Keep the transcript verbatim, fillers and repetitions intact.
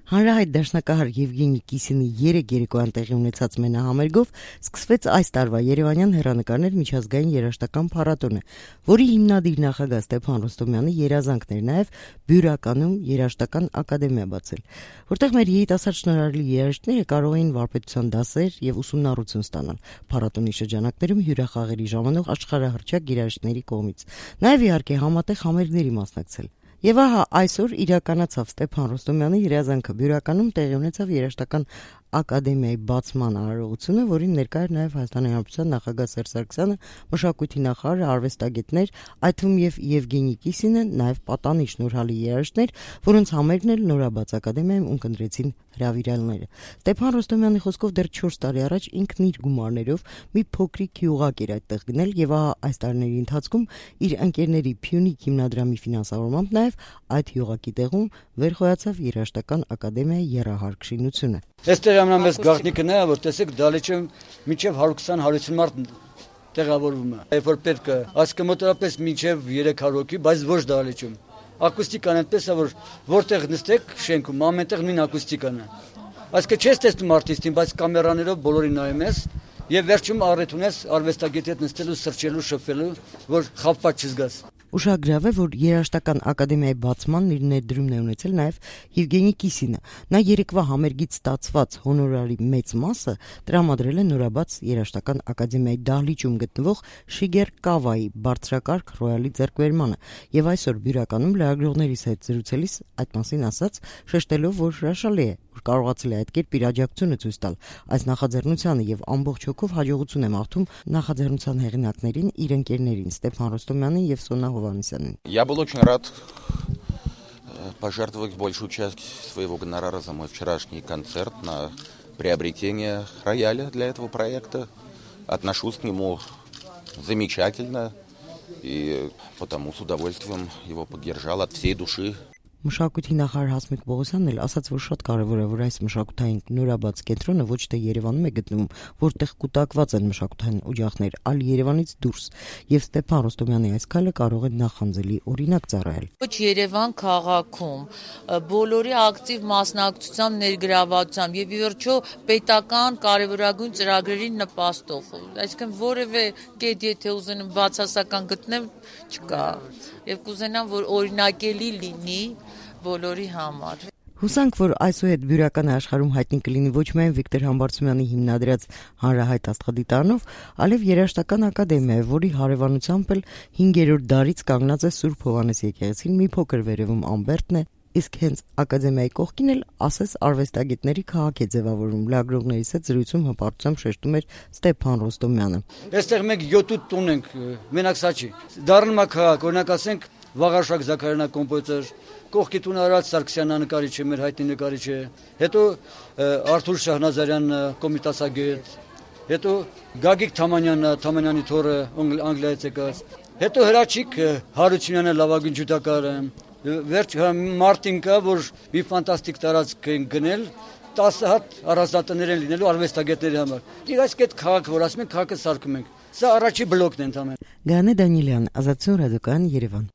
Հանրահայտ դաշնակահար Եվգենի Կիսինի երեք երեկոյան տեղի ունեցած մենահամերգով սկսվեց այս տարվա Երևանյան հեռանկարներ միջազգային երաժշտական փառատոնը, որի հիմնադիր նախագահ Ստեփան Ռոստոմյանի երազանքն էր նաև Բյուրականում երաժշտական ակադեմիա բացել, որտեղ մեր երիտասարդ շնորհալի երաժիշտները կարող էին վարպետության դասեր եւ ուսումնառություն ստանալ փառատոնի շրջանակներում հյուրախաղերի ժամանակ աշխարհահռչակ երաժիշտների կողմից, նաև իհարկե համատեղ համերգների մասնակցել։ Եվ ահա այսօր իրականացավ Ստեփան Ռոստոմյանի երազանքը Բյուրականում տեղի ունեցավ երաժշտական ակադեմիայի բացման արարողությունը, որին ներկա էր նաև Հայաստանի Հանրապետության նախագահ Սերժ Սարգսյանը, մշակույթի նախարարը, արվեստագետներ, այդ թվում եւ Եվգենի Կիսինը, նաև պատանի շնորհալի երաժիշտներ, որոնց համերգն էլ նորաբաց ակադեմիայում ունկնդրեցին հրավիրալները։ Ստեփան Ռոստոմյանի խոսքով դեռ չորս տարի առաջ ինքն իր գումարներով մի փոքրիկ հյուղակ էր այդտեղ գնել եւ ահա այս տարիների ընթացքում իր ընկերների Փյունիկ հիմնադրամի ֆինանսավորմամբ նաև այդ հյուղակի տեղում վերխոյացավ երաժշտական ակադեմիայի եռահարկ շինությունը։ Այստեղ ամենամեծ գաղտնիքն է, որ տեսեք դալեչը մինչև հարյուր քսան հարյուր ութսուն մարդ տեղավորվում է։ Երբ որ պետք է, ասկը մոտավորապես մինչև երեք հարյուր հոգի, բայց ոչ դալեչում։ Ակուստիկան այնպես է, որ որտեղ նստեք շենքում, ամենտեղ նույն ակուստիկան է։ Այսինքն չես տեսնում արտիստին, բայց կամերաներով բոլորին նայում ես եւ վերջում առիթ ունես արվեստագետի հետ նստելու, սրճելու, շփվելու, որ խաբված չզգաս։ Ուշագրավ է, որ երաժշտական ակադեմիայի բացմանն իր ներդրումն է ունեցել նաև Եվգենի Կիսինը։ Նա երեկվա համերգից ստացված հոնորարի մեծ մասը տրամադրել է նորաբաց երաժշտական ակադեմիայի դահլիճում գտնվող Շիգեր Կավայի բարձրակարգ ռոյալի ձեռքբերմանը, եւ այսօր Բյուրականում լրագրողներիս հետ զրուցելիս այդ մասին ասաց, շեշտելով, որ հրաշալի է, որ կարողացել է այդ կերպ իր աջակցությունը ցույց տալ այս նախաձեռնությանը եւ ամբողջ հոգով հաջողություն է մաղթում նախաձեռնության հեղինակներին, իր ընկերներին Ստեփան Ռոստոմյանին եւ Սոնա Հովհաննիսյանին։ Я был очень рад пожертвовать большую часть своего гонорара за мой вчерашний концерт на приобретение рояля для этого проекта. Отношусь к нему замечательно и потому с удовольствием его поддержал от всей души. Մշակույթի նախարար Հասմիկ Պողոսյանն էլ ասաց, որ շատ կարևոր է, որ այս մշակութային նորաբաց կենտրոնը ոչ թե Երևանում է գտնվում, որտեղ կուտակված են մշակութային օջախներ, այլ Երևանից դուրս, եւ Ստեփան Ռոստոմյանի այս քայլը կարող է նախանձելի օրինակ ծառայել։ Ոչ Երևան քաղաքում բոլորի ակտիվ մասնակցությամբ, ներգրավվածությամբ եւ ի վերջո պետական կարևորագույն ծրագրերին նպաստող, այսինքն որևէ կետ եթե ուզենամ բացասական գտնեմ, չկա, եւ կուզենամ, որ օրինակելի լինի բոլորի համար։ Հուսանք, որ այսուհետ Բյուրականը աշխարհում հայտնի կլինի ոչ միայն Վիկտոր Համբարձումյանի հիմնադրած հանրահայտ աստղադիտարանով, այլև երաժշտական ակադեմիա, որի հարևանությամբ էլ հինգերորդ դարից կանգնած է Սուրբ Հովհաննես եկեղեցին, մի փոքր վերևում Ամբերտն է, իսկ հենց ակադեմիայի կողքին էլ ասես արվեստագետների քաղաք է ձևավորում։ Լրագրողներիս հետ զրույցում հպարտությամբ շեշտում էր Ստեփան Ռոստոմյանը։ Այստեղ մենք յոթ տուն ենք, մենակ սա չի։ Դառնում է քաղաք, օրինակ ասենք Վաղարշակ Զաքարյանը կոմպոզիտոր, կողքի տուն Արադ Սարգսյանը նկարիչ է, մեր հայտնի նկարիչ է, հետո Արթուր Շահնազարյանը կոմիտասագետ, հետո Գագիկ Թամանյանը, Թամանյանի թոռը Անգլիայից եկած, հետո Հրաչիկ Հարությունյանը լավագույն ջութակարը, վերջ Մարտին կա, որ մի ֆանտաստիկ տարածք են գնել, տասը հատ առանձնատներ են լինելու արվեստագետների համար։ Իսկ այս կետ քաղաք, որ ասում են քաղաքը սարքում ենք, սա առաջի բլոկն է ընդհանրապես։ Գանե Դանիելյան, Ազատություն ռադիոկայան, Երևան։